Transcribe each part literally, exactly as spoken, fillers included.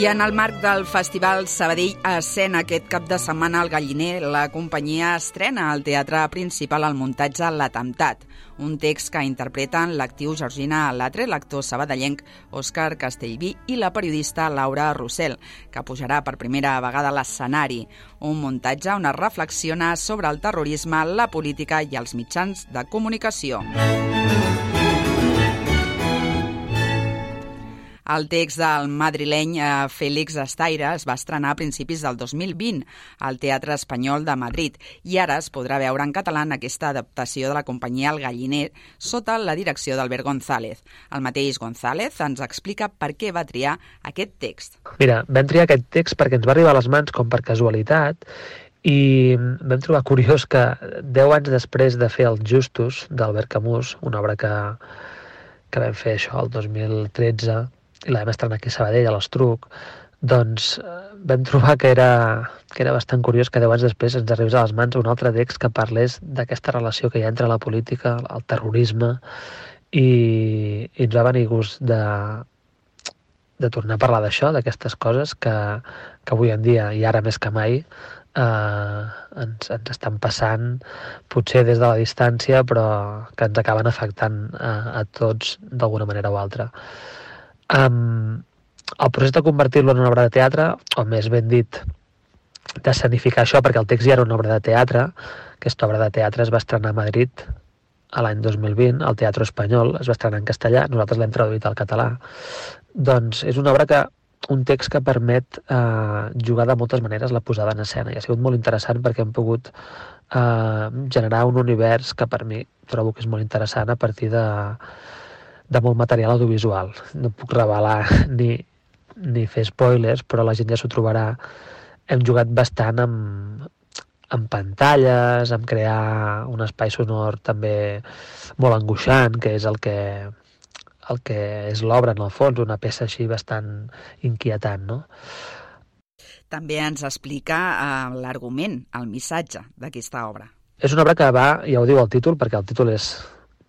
I en el marc del Festival Sabadell Escena aquest cap de setmana al Galliner, la companyia estrena al Teatre Principal el muntatge L'Atemptat, un text que interpreten l'actriu Georgina Latre, l'actor sabadellenc Òscar Castellví i la periodista Laura Rossell, que pujarà per primera vegada a l'escenari. Un muntatge on es reflexiona sobre el terrorisme, la política i els mitjans de comunicació. El text del madrileny Félix Estaire es va estrenar a principis del dos mil vint al Teatre Espanyol de Madrid i ara es podrà veure en català en aquesta adaptació de la companyia El Galliner sota la direcció d'Albert González. El mateix González ens explica per què va triar aquest text. Mira, vam triar aquest text perquè ens va arribar a les mans com per casualitat i vam trobar curiós que deu anys després de fer Els Justos d'Albert Camus, una obra que, que vam fer això el dos mil tretze, i la vam estrenar aquí a Sabadell, a l'Estruc, doncs vam trobar que era, que era bastant curiós que deu anys després ens arribés a les mans un altre text que parlés d'aquesta relació que hi ha entre la política, el terrorisme, i, i ens va venir gust de, de tornar a parlar d'això, d'aquestes coses que, que avui en dia, i ara més que mai, eh, ens, ens estan passant, potser des de la distància, però que ens acaben afectant a, a tots d'alguna manera o altra. Um, el procés de convertir-lo en una obra de teatre, o més ben dit, d'escenificar això, perquè el text ja era una obra de teatre, aquesta obra de teatre es va estrenar a Madrid a l'any dos mil vint, al Teatre Espanyol, es va estrenar en castellà, nosaltres l'hem traduït al català. Doncs és una obra que, un text que permet eh, jugar de moltes maneres la posada en escena, i ha sigut molt interessant perquè hem pogut eh, generar un univers que per mi trobo que és molt interessant a partir de de molt material audiovisual. No puc revelar ni, ni fer spoilers, però la gent ja s'ho trobarà. Hem jugat bastant amb, amb pantalles, amb crear un espai sonor també molt angoixant, que és el que, el que és l'obra en el fons, una peça així bastant inquietant, no? També ens explica uh, l'argument, el missatge d'aquesta obra. És una obra que va, ja ho diu el títol, perquè el títol és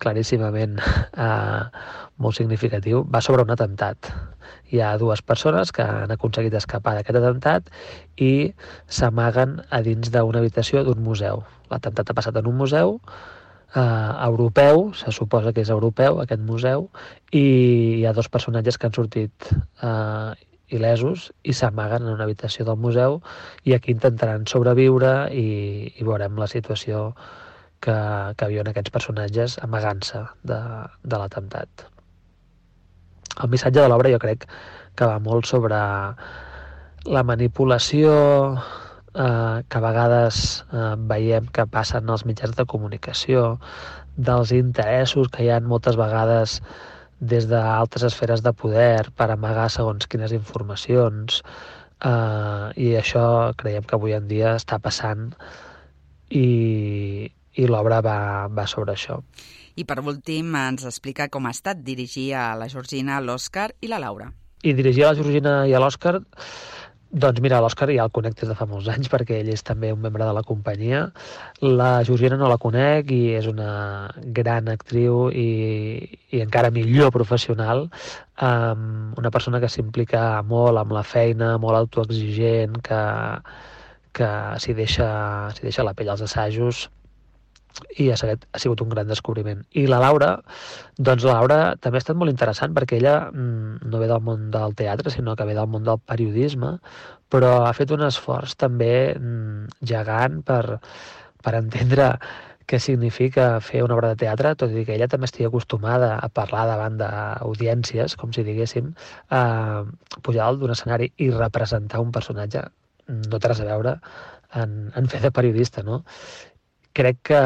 claríssimament eh, molt significatiu, va sobre un atemptat. Hi ha dues persones que han aconseguit escapar d'aquest atemptat i s'amaguen a dins d'una habitació d'un museu. L'atemptat ha passat en un museu eh, europeu, se suposa que és europeu aquest museu, i hi ha dos personatges que han sortit eh, il·lesos i s'amaguen en una habitació del museu i aquí intentaran sobreviure i, i veurem la situació que, que viuen aquests personatges amagant-se de, de l'atemptat. El missatge de l'obra jo crec que va molt sobre la manipulació eh, que a vegades eh, veiem que passen als mitjans de comunicació, dels interessos que hi ha moltes vegades des d'altres esferes de poder per amagar segons quines informacions, eh, i això creiem que avui en dia està passant i i l'obra va, va sobre això. I per últim ens explica com ha estat dirigir a la Georgina, l'Òscar i la Laura. I dirigir a la Georgina i a l'Òscar, doncs mira, l'Òscar ja el conec des de fa molts anys perquè ell és també un membre de la companyia. La Georgina no la conec i és una gran actriu i, i encara millor professional, um, una persona que s'implica molt amb la feina, molt autoexigent, que, que s'hi deixa, s'hi deixa la pell als assajos, i ha sigut, ha sigut un gran descobriment. I la Laura, doncs la Laura també ha estat molt interessant perquè ella mm, no ve del món del teatre, sinó que ve del món del periodisme, però ha fet un esforç també mm, gegant per, per entendre què significa fer una obra de teatre, tot i que ella també estigui acostumada a parlar davant d'audiències, com si diguéssim, a pujar dalt d'un escenari i representar un personatge, no té res a veure en, en fer de periodista, no? Crec que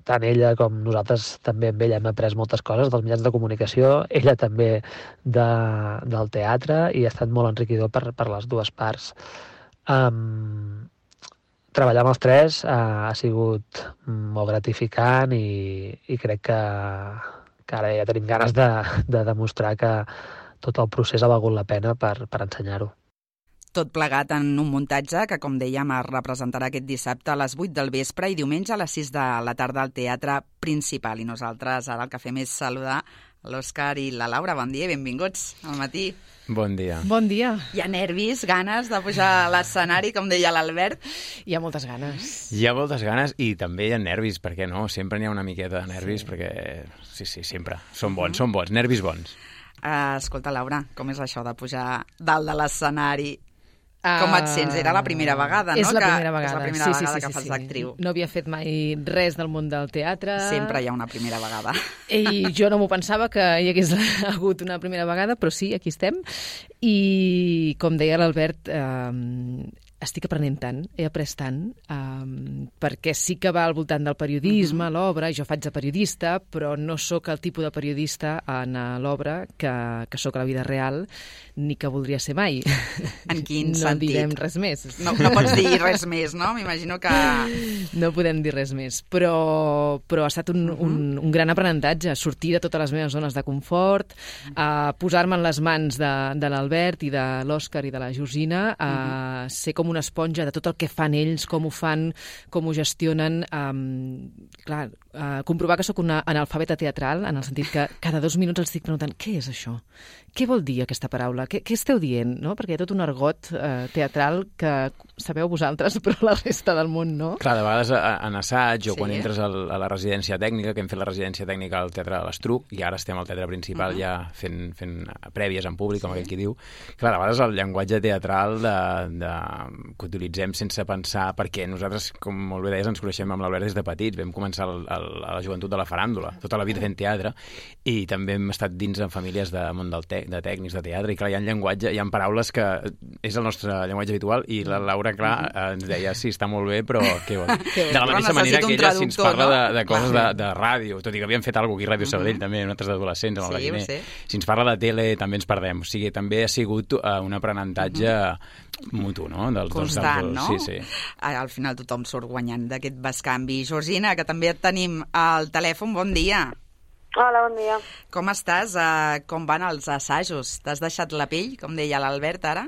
tant ella com nosaltres també amb ella hem après moltes coses dels mitjans de comunicació, ella també de, del teatre, i ha estat molt enriquidor per, per les dues parts. Um, treballar amb els tres uh, ha sigut molt gratificant i, i crec que, que ara ja tenim ganes de, de demostrar que tot el procés ha valgut la pena per, per ensenyar-ho. Tot plegat en un muntatge que, com dèiem, es representarà aquest dissabte a les vuit del vespre i diumenge a les sis de la tarda al Teatre Principal. I nosaltres ara el que fem és saludar l'Òscar i la Laura. Bon dia i benvinguts al matí. Bon dia. Bon dia. Hi ha nervis, ganes de pujar a l'escenari, com deia l'Albert? Hi ha moltes ganes. Hi ha moltes ganes i també hi ha nervis, perquè no? Sempre n'hi ha una miqueta de nervis, sí. perquè sí, sí, sempre. Són bons, uh-huh. són bons, nervis bons. Uh, escolta, Laura, com és això de pujar dalt de l'escenari? Com et sents? Era la primera vegada, no? És la primera vegada, és la primera sí, vegada sí, sí, que fas sí. d'actriu. No havia fet mai res del món del teatre. Sempre hi ha una primera vegada. I jo no m'ho pensava que hi hagués hagut una primera vegada, però sí, aquí estem. I, com deia l'Albert, eh, estic aprenent tant, he après tant, um, perquè sí que va al voltant del periodisme, uh-huh. l'obra, jo faig de periodista, però no sóc el tipus de periodista en l'obra que, que sóc a la vida real, ni que voldria ser mai. En quin no sentit? No direm res més. No, no pots dir res més, no? M'imagino que... No podem dir res més, però, però ha estat un, uh-huh. un, un gran aprenentatge, sortir de totes les meves zones de confort, uh, posar-me en les mans de, de l'Albert i de l'Òscar i de la Georgina, a uh, ser com una esponja de tot el que fan ells, com ho fan, com ho gestionen. Um, clar, uh, comprovar que sóc una analfabeta teatral, en el sentit que cada dos minuts els estic preguntant què és això? Què vol dir aquesta paraula? Què, què esteu dient? No? Perquè hi ha tot un argot uh, teatral que sabeu vosaltres, però la resta del món no. Clar, de vegades en assaig o sí. quan entres al, a la residència tècnica, que hem fet la residència tècnica al Teatre de l'Estruc, i ara estem al Teatre Principal uh-huh. ja fent, fent prèvies en públic, com sí. aquell qui diu. Clar, de vegades el llenguatge teatral de, de, que utilitzem sense pensar, perquè nosaltres, com molt bé deies, ens coneixem amb l'Albert des de petits, vam començar el, el, a la joventut de la faràndula, tota la vida fent teatre, i també hem estat dins en famílies de món del te de tècnics de teatre, i clar, hi ha llenguatge, hi ha paraules que és el nostre llenguatge habitual, i la Laura, clar, ens deia, sí, està molt bé, però què vol? De la mateixa manera que ella, si ens parla no? de, de coses de, de ràdio, tot i que havíem fet alguna cosa aquí a Ràdio Sabadell, uh-huh. també, nosaltres d'adolescents, amb el sí, Galliner, si ens parla de tele també ens perdem, o sigui, també ha sigut uh, un aprenentatge uh-huh. mutu, no? Dels, constant, dels, dels, no? Sí, sí. Al final tothom surt guanyant d'aquest bescanvi. Georgina, que també et tenim al telèfon, bon dia. Hola, bon dia. Com estàs? Uh, com van els assajos? T'has deixat la pell, com deia l'Albert ara?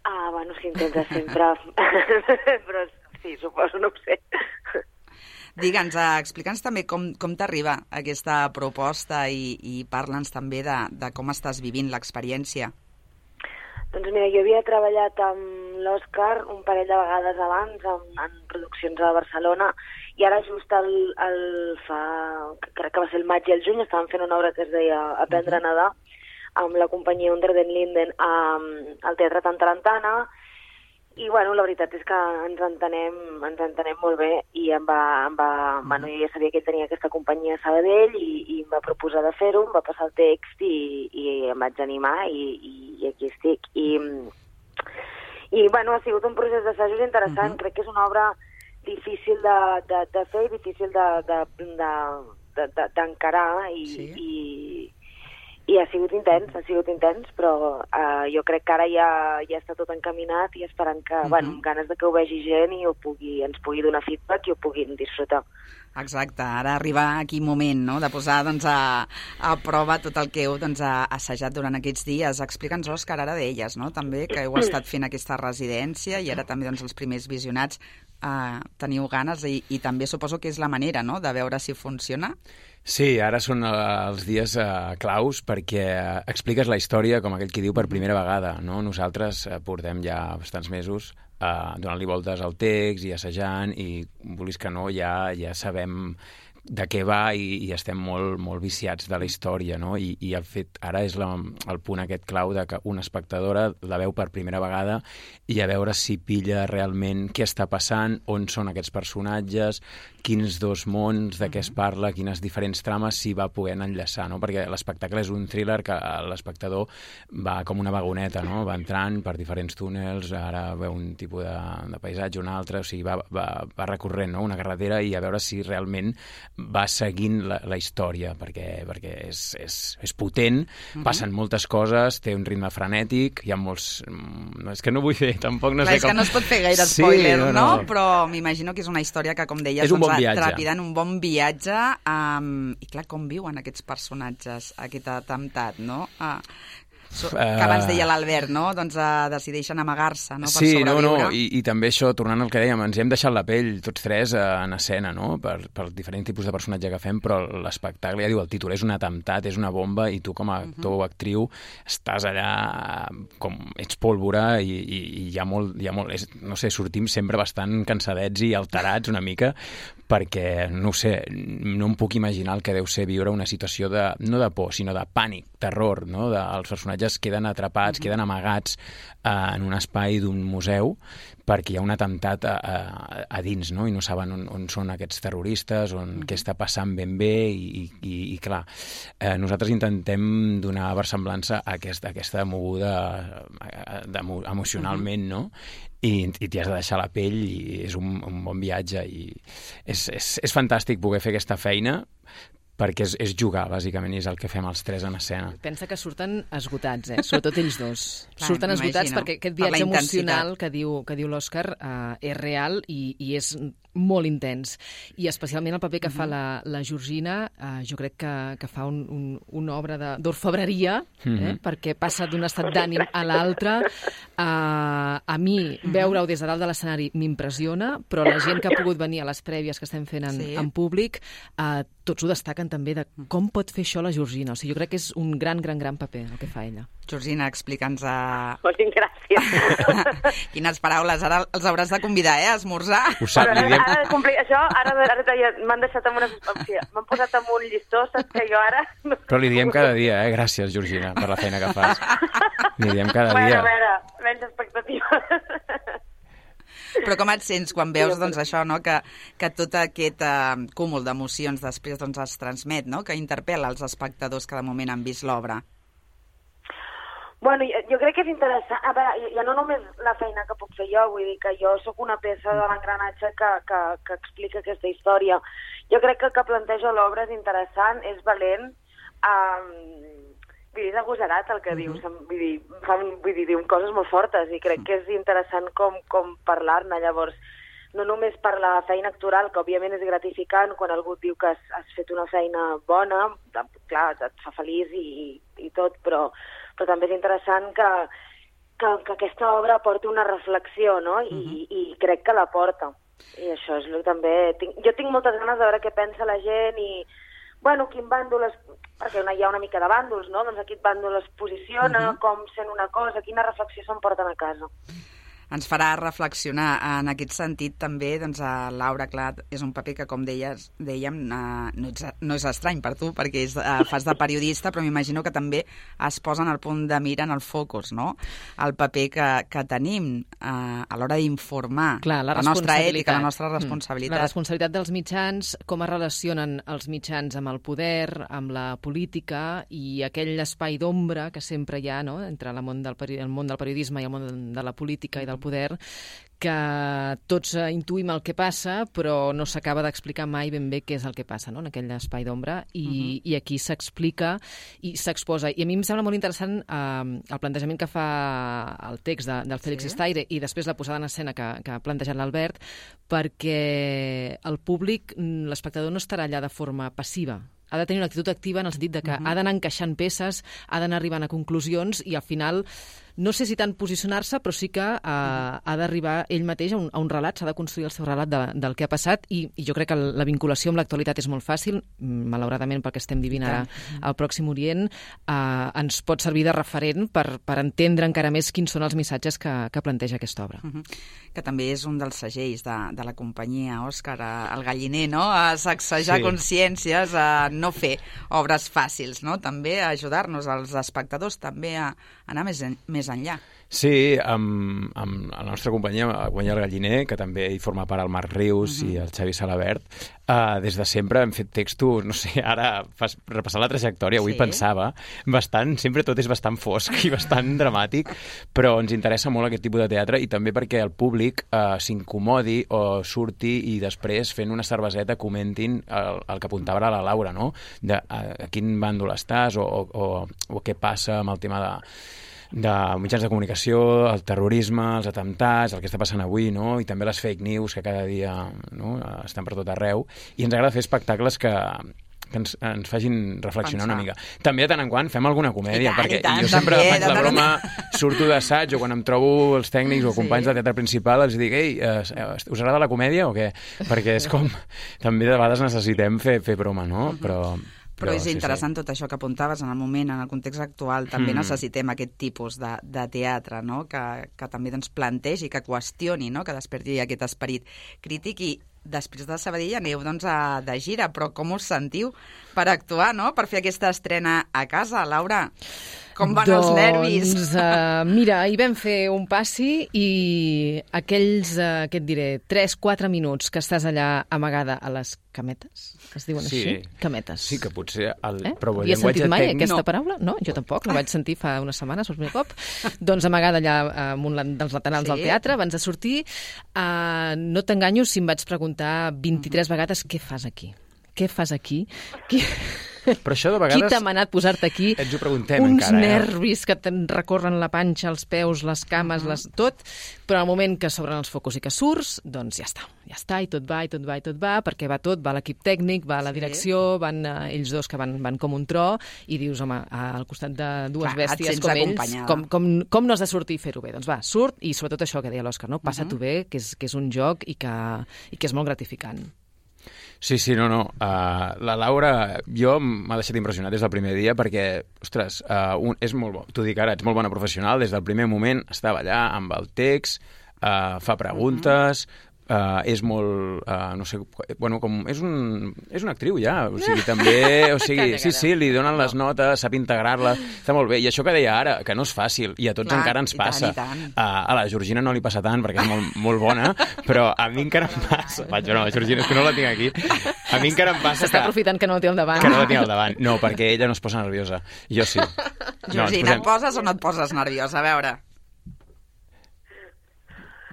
Ah, bueno, s'intenta sempre. Però sí, suposo, no ho sé. Digue'ns, uh, explica'ns també com, com t'arriba aquesta proposta i, i parla'ns també de, de com estàs vivint l'experiència. Doncs mira, jo havia treballat amb l'Òscar un parell de vegades abans en, en produccions a Barcelona i ara just el, el fa, crec que va ser el maig i el juny, estàvem fent una obra que es deia Aprendre a nedar amb la companyia Under den Linden um, al Teatre Tantarantana i bueno, la veritat és que ens entenem, ens entenem molt bé i em va, em va, uh-huh. bueno, jo ja sabia que ell tenia aquesta companyia a Sabadell i, i em va proposar de fer-ho, em va passar el text i, i em vaig animar i, i aquí estic. I, i bueno, ha sigut un procés d'assajos interessant, uh-huh. crec que és una obra difícil de, de, de fer, difícil d'encarar de, de, de, de, i, sí. i I ha sigut intens, ha sigut intens, però uh, jo crec que ara ja, ja està tot encaminat i esperant que, uh-huh. bueno, amb ganes de que ho vegi gent i ho pugui, ens pugui donar feedback i ho puguin disfrutar. Exacte, ara arriba aquí moment, no?, de posar doncs, a, a prova tot el que heu doncs, assajat durant aquests dies. Explica'ns, Òscar, ara d'elles, no?, també, que heu estat fent aquesta residència i ara també doncs, els primers visionats uh, teniu ganes i, i també suposo que és la manera, no?, de veure si funciona. Sí, ara són els dies uh, claus perquè expliques la història, com aquell qui diu, per primera vegada, no? Nosaltres uh, portem ja bastants mesos uh, donant-li voltes al text i assajant i, vulguis que no, ja, ja sabem de què va i, i estem molt, molt viciats de la història, no? I, i el fet, ara és la, el punt aquest clau de que una espectadora la veu per primera vegada i a veure si pilla realment què està passant, on són aquests personatges, quins dos mons, de què es parla, quines diferents trames s'hi va poder enllaçar, no? Perquè l'espectacle és un thriller que l'espectador va com una vagoneta, no? Va entrant per diferents túnels, ara veu un tipus de, de paisatge, un altre, o sigui, va, va, va recorrent, no? Una carretera i a veure si realment va seguint la, la història, perquè, perquè és, és, és potent, uh-huh. passen moltes coses, té un ritme frenètic, hi ha molts... No, és que no vull fer, tampoc no clar, sé com... És que no es pot fer gaire spoiler, sí, no, no? no? Però m'imagino que és una història que, com deies, és un bon viatge. Trepidant un bon viatge, um, i clar, com viuen aquests personatges, aquest atemptat, no? Uh, So, que abans deia l'Albert, no? Doncs uh, decideixen amagar-se, no? Per sí, sobreviure. no, no, i, i també això, tornant al que dèiem, ens hem deixat la pell tots tres uh, en escena, no? Per, per diferents tipus de personatge que fem, però l'espectacle, ja diu el títol, és un atemptat, és una bomba, i tu com a actor o actriu estàs allà com ets pólvora i, i, i hi ha molt, hi ha molt és, no sé, sortim sempre bastant cansadets i alterats una mica, perquè, no sé, no em puc imaginar el que deu ser viure una situació de, no de por, sinó de pànic, terror, no? De, els personatges queden atrapats, queden amagats eh, en un espai d'un museu perquè hi ha un atemptat a, a, a dins, no? I no saben on, on són aquests terroristes, on què està passant ben bé, i, i, i clar, eh, nosaltres intentem donar versemblança a aquesta, a aquesta moguda eh, emocionalment, no? I, i t'hi has de deixar la pell, i és un, un bon viatge, i és, és, és fantàstic poder fer aquesta feina, perquè és, és jugar, bàsicament, i és el que fem els tres en escena. Pensa que surten esgotats, eh? Sobretot ells dos. Clar, surten esgotats perquè aquest viatge emocional que diu, que diu l'Òscar eh, és real i, i és molt intens. I especialment el paper que uh-huh. fa la, la Georgina, eh, jo crec que, que fa un, un, una obra d'orfebreria, uh-huh. eh? Perquè passa d'un estat d'ànim a l'altre. Eh, a mi, veure-ho des de dalt de l'escenari m'impressiona, però la gent que ha pogut venir a les prèvies que estem fent en, sí. en públic, eh, tots ho destaquen també de com pot fer això la Georgina. O sigui, jo crec que és un gran, gran, gran paper el que fa ella. Georgina, explica'ns a... Moltes gràcies. Quines paraules. Ara els hauràs de convidar, eh, a esmorzar. Ho sap, ara, diem... ara, complir, això, ara, ara ja m'han deixat amb una... M'han posat amb un llistó, saps que jo ara... Però li diem cada dia, eh? Gràcies, Georgina, per la feina que fas. Li diem cada bueno, dia. A veure, menys expectatives. Però com et sents quan veus doncs, això, no? que, que tot aquest uh, cúmul d'emocions després doncs, es transmet, no? Que interpel·la els espectadors que de moment han vist l'obra? Bueno, jo, jo crec que és interessant. A veure, ja no només la feina que puc fer jo, vull dir que jo sóc una peça de l'engranatge que, que, que explica aquesta història. Jo crec que el que planteja l'obra és interessant, és valent, um, vull dir, és agosarat el que uh-huh. dius, vull dir, fan, vull dir, diu coses molt fortes i crec que és interessant com, com parlar-ne. Llavors, no només per la feina actoral, que òbviament és gratificant quan algú diu que has, has fet una feina bona, clar, et fa feliç i, i tot, però, però també és interessant que, que, que aquesta obra porti una reflexió, no? I, uh-huh. i crec que la porta. I això és el que també... Tinc, jo tinc moltes ganes de veure què pensa la gent i, bueno, quin bàndol es... perquè hi ha una mica de bàndols, no? Doncs aquest bàndol es posiciona, uh-huh. com sent una cosa, quina reflexió s'emporten a casa. Ens farà reflexionar. En aquest sentit, també, doncs, a Laura, clar, és un paper que, com deies, dèiem, uh, no, ets, no és estrany per tu, perquè és, uh, fas de periodista, però m'imagino que també es posen al punt de mira en el focus, no? El paper que, que tenim uh, a l'hora d'informar, clar, la, la nostra ètica, la nostra responsabilitat. La responsabilitat dels mitjans, com es relacionen els mitjans amb el poder, amb la política, i aquell espai d'ombra que sempre hi ha, no?, entre el món del, el món del periodisme i el món de la política i del poder, que tots intuïm el que passa, però no s'acaba d'explicar mai ben bé què és el que passa, no?, en aquell espai d'ombra, i, uh-huh. i aquí s'explica i s'exposa. I a mi em sembla molt interessant eh, el plantejament que fa el text de, del Félix sí. Estaire i després la posada en escena que, que ha plantejat l'Albert, perquè el públic, l'espectador, no estarà allà de forma passiva. Ha de tenir una actitud activa en el sentit de que uh-huh. ha d'anar encaixant peces, ha d'anar arribant a conclusions i al final, no sé si tant posicionar-se, però sí que uh, uh-huh. ha d'arribar ell mateix a un, a un relat, s'ha de construir el seu relat de, del que ha passat i, i jo crec que la vinculació amb l'actualitat és molt fàcil, malauradament perquè estem vivint ara uh-huh. al Pròxim Orient, uh, ens pot servir de referent per, per entendre encara més quins són els missatges que, que planteja aquesta obra. Uh-huh. Que també és un dels segells de, de la companyia, Òscar, el galliner, no?, a sacsejar sí. consciències, a no fer obres fàcils, no?, també a ajudar-nos als espectadors també a anar més, en, més enllà. Sí, amb, amb la nostra companyia, la companyia El Galliner, que també hi forma part el Marc Rius uh-huh. i el Xavi Salabert, uh, des de sempre hem fet textos, no sé, ara fas, repassant la trajectòria, avui sí. pensava, bastant, sempre tot és bastant fosc i bastant dramàtic, però ens interessa molt aquest tipus de teatre i també perquè el públic uh, s'incomodi o surti i després fent una cerveseta comentin el, el que apuntava ara la Laura, no?, de a, a quin bàndol estàs o, o, o, o què passa amb el tema de de mitjans de comunicació, el terrorisme, els atemptats, el que està passant avui, no?, i també les fake news que cada dia, no?, estan per tot arreu. I ens agrada fer espectacles que, que ens, ens facin reflexionar Pensar. una mica. També de tant en quant fem alguna comèdia, I tant, perquè i tant, jo sempre també, faig de la tant en broma, surto d'assaig o quan em trobo els tècnics o Sí. companys de teatre principal els dic, ei, eh, us agrada la comèdia o què? Perquè és com, també de vegades necessitem fer, fer broma, no? Però... Però és interessant tot això que apuntaves en el moment, en el context actual. També Mm. necessitem aquest tipus de, de teatre, no? que, que també doncs, plantegi, que qüestioni, no? que desperti aquest esperit crític. I després de Sabadell aneu doncs, a, de gira, però com us sentiu per actuar, no? per fer aquesta estrena a casa, Laura? Com van doncs, els nervis? Uh, mira, hi vam fer un passi i aquells, uh, què et diré, tres quatre minuts que estàs allà amagada a les cametes, es diuen Sí. així? Cametes. Sí, que potser el, Eh? però el Havies llenguatge sentit mai tècnic... aquesta no. paraula? No, jo tampoc, la vaig sentir fa unes setmanes, per primer cop. Doncs amagada allà en un dels laterals Sí. del teatre, abans de sortir, uh, no t'enganyo si em vaig preguntar vint-i-tres vegades què fas aquí? Què fas aquí? Qui... Però això de Qui vegades... t'ha manat posar-te aquí? Ens ho preguntem Uns encara, eh? nervis que te'n recorren la panxa, els peus, les cames, les... tot, però al moment que s'obren els focus i que surts, doncs ja està, ja està, i tot va, i tot va, i tot va, perquè va tot, va l'equip tècnic, va la Sí. direcció, van uh, ells dos que van, van com un tro, i dius, home, al costat de dues Clar, et bèsties sents com ells, acompanyada. com, com, com no has de sortir i fer-ho bé? Doncs va, surt, i sobretot això que deia l'Òscar, no? Passa-t'ho bé, que és, que és un joc i que, i que és molt gratificant. Sí, sí, no, no. Uh, la Laura, jo m'ha deixat impressionat des del primer dia perquè, ostres, uh, un, és molt bo. T'ho dic ara, ets molt bona professional. Des del primer moment estava allà amb el text, uh, fa preguntes, uh, és molt, uh, no sé, bueno, com, és, un, és una actriu ja, o sigui, també, o sigui, sí, sí, li donen les notes, sap integrar-la, està molt bé. I això que deia ara, que no és fàcil, i a tots Clar, encara ens i tant, passa. i tant. Uh, a la Georgina no li passa tant perquè és molt, molt bona, però a mi encara em passa. Vaig, no, la Georgina, és que no la tinc aquí. A mi encara em passa S'està que... aprofitant que no el té al davant. Que no la tinc al davant. No, perquè ella no es posa nerviosa. Jo sí. Georgina, ens posem... et poses o no et poses nerviosa? A veure...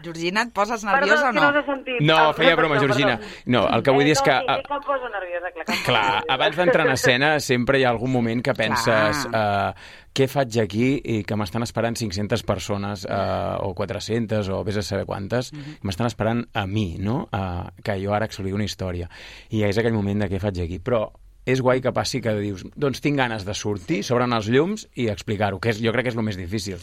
Georgina, et poses nerviosa Perdó, o no? que no s'ha sentit. No, Ah, feia broma, perdó, Georgina. perdó. No, el que vull dir és que... Eh, no, sí, que em poso nerviosa, clar. Que em poso Clar, nerviosa. abans d'entrar en escena sempre hi ha algun moment que penses uh, què faig aquí i que m'estan esperant cinc-centes persones uh, o quatre-centes o vés a saber quantes, Mhm. m'estan esperant a mi, no? Uh, que jo ara explico una història. I és aquell moment de què faig aquí. Però és guai que passi que dius, doncs tinc ganes de sortir, s'obren els llums i explicar-ho, que és, jo crec que és el més difícil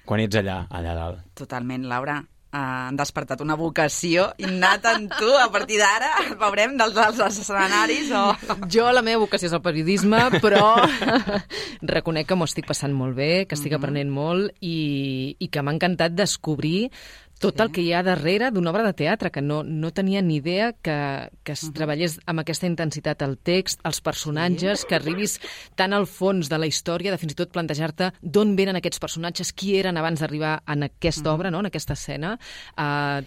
quan ets allà, allà dalt. Totalment, Laura. Uh, han despertat una vocació innata en tu. A partir d'ara veurem dels, dels escenaris o... Jo, la meva vocació és el periodisme, però reconec que m'ho estic passant molt bé, que estic aprenent molt i, i que m'ha encantat descobrir tot el que hi ha darrere d'una obra de teatre, que no, no tenia ni idea que, que es treballés amb aquesta intensitat el text, els personatges, que arribis tan al fons de la història, de fins i tot plantejar-te d'on venen aquests personatges, qui eren abans d'arribar en aquesta obra, no? En aquesta escena. Uh,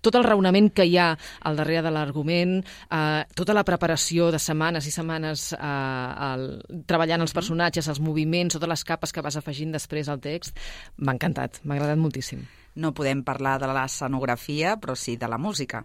tot el raonament que hi ha al darrere de l'argument, eh, tota la preparació de setmanes i setmanes eh, el, treballant els personatges, els moviments, totes les capes que vas afegint després al text, m'ha encantat, m'ha agradat moltíssim. No podem parlar de l'escenografia, però sí de la música.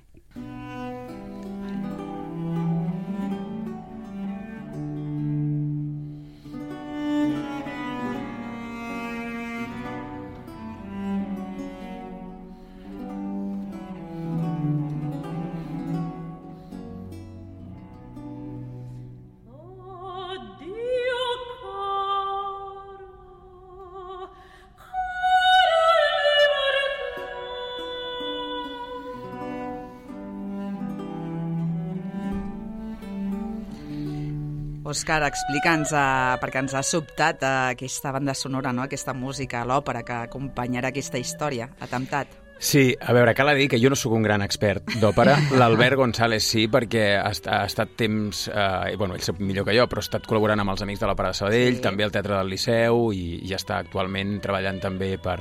Òscar, explica'ns, uh, perquè ens ha sobtat uh, aquesta banda sonora, no? Aquesta música, l'òpera que acompanyarà aquesta història, Atemptat. Sí, a veure, cal dir que jo no sóc un gran expert d'òpera. L'Albert González sí, perquè ha, ha estat temps... Eh, bueno, ell sap millor que jo, però ha estat col·laborant amb els Amics de l'Òpera de Sabadell, sí. També al Teatre del Liceu, i, i està actualment treballant també per,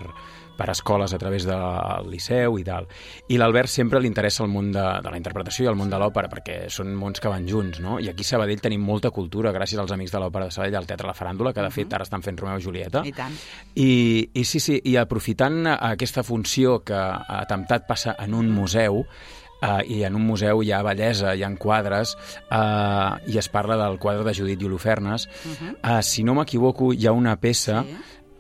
per escoles a través del Liceu i tal. I l'Albert sempre li interessa el món de, de la interpretació i el món de l'òpera, perquè són mons que van junts, no? I aquí a Sabadell tenim molta cultura, gràcies als Amics de l'Òpera de Sabadell, al Teatre La Faràndula, que de fet ara estan fent Romeu i Julieta. I tant. I, i sí, sí, i aprofitant aquesta funció que Atemptat passa en un museu, Uh, i en un museu hi ha bellesa, hi ha quadres, uh, i es parla del quadre de Judit i Holofernes. Uh -huh. uh, si no m'equivoco, hi ha una peça, sí.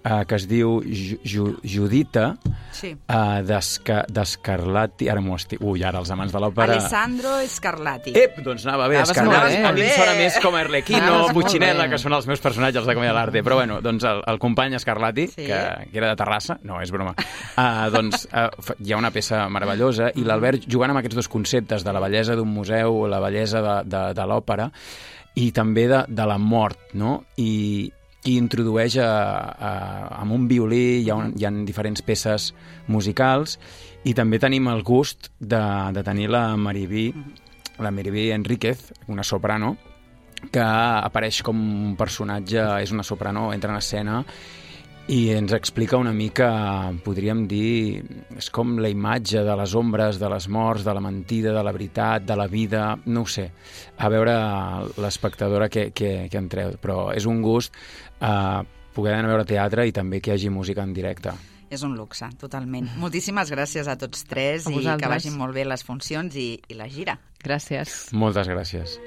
uh, que es diu Ju Ju Judita, sí. uh, d'Scarlatti, ara m'ho estic... Ui, ara els amants de l'òpera... Alessandro Scarlatti. Ep, doncs anava bé, Anaves Scarlatti. molt bé. A mi em sona més com a Arlequino, Anaves molt Puccinella, bé. que són els meus personatges de Comèdia dell'arte. Però bueno, doncs el, el company Scarlatti, Sí. que, que era de Terrassa, no, és broma, uh, doncs uh, hi ha una peça meravellosa i l'Albert jugant amb aquests dos conceptes de la bellesa d'un museu, la bellesa de, de, de l'òpera i també de, de la mort, no? I, i introdueix a, a, amb un violí, hi ha, un, hi ha diferents peces musicals i també tenim el gust de, de tenir la Maribí, la Maribí Enríquez, una soprano, que apareix com un personatge, és una soprano, entra en escena i ens explica una mica, podríem dir, és com la imatge de les ombres, de les morts, de la mentida, de la veritat, de la vida, no ho sé, a veure l'espectadora que, que, que entreu, però és un gust eh, poder anar a veure teatre i també que hi hagi música en directe. És un luxe, totalment. Moltíssimes gràcies a tots tres i que vagin molt bé les funcions i, i la gira. Gràcies. Moltes gràcies.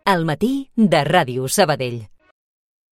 Al matí de Ràdio Sabadell.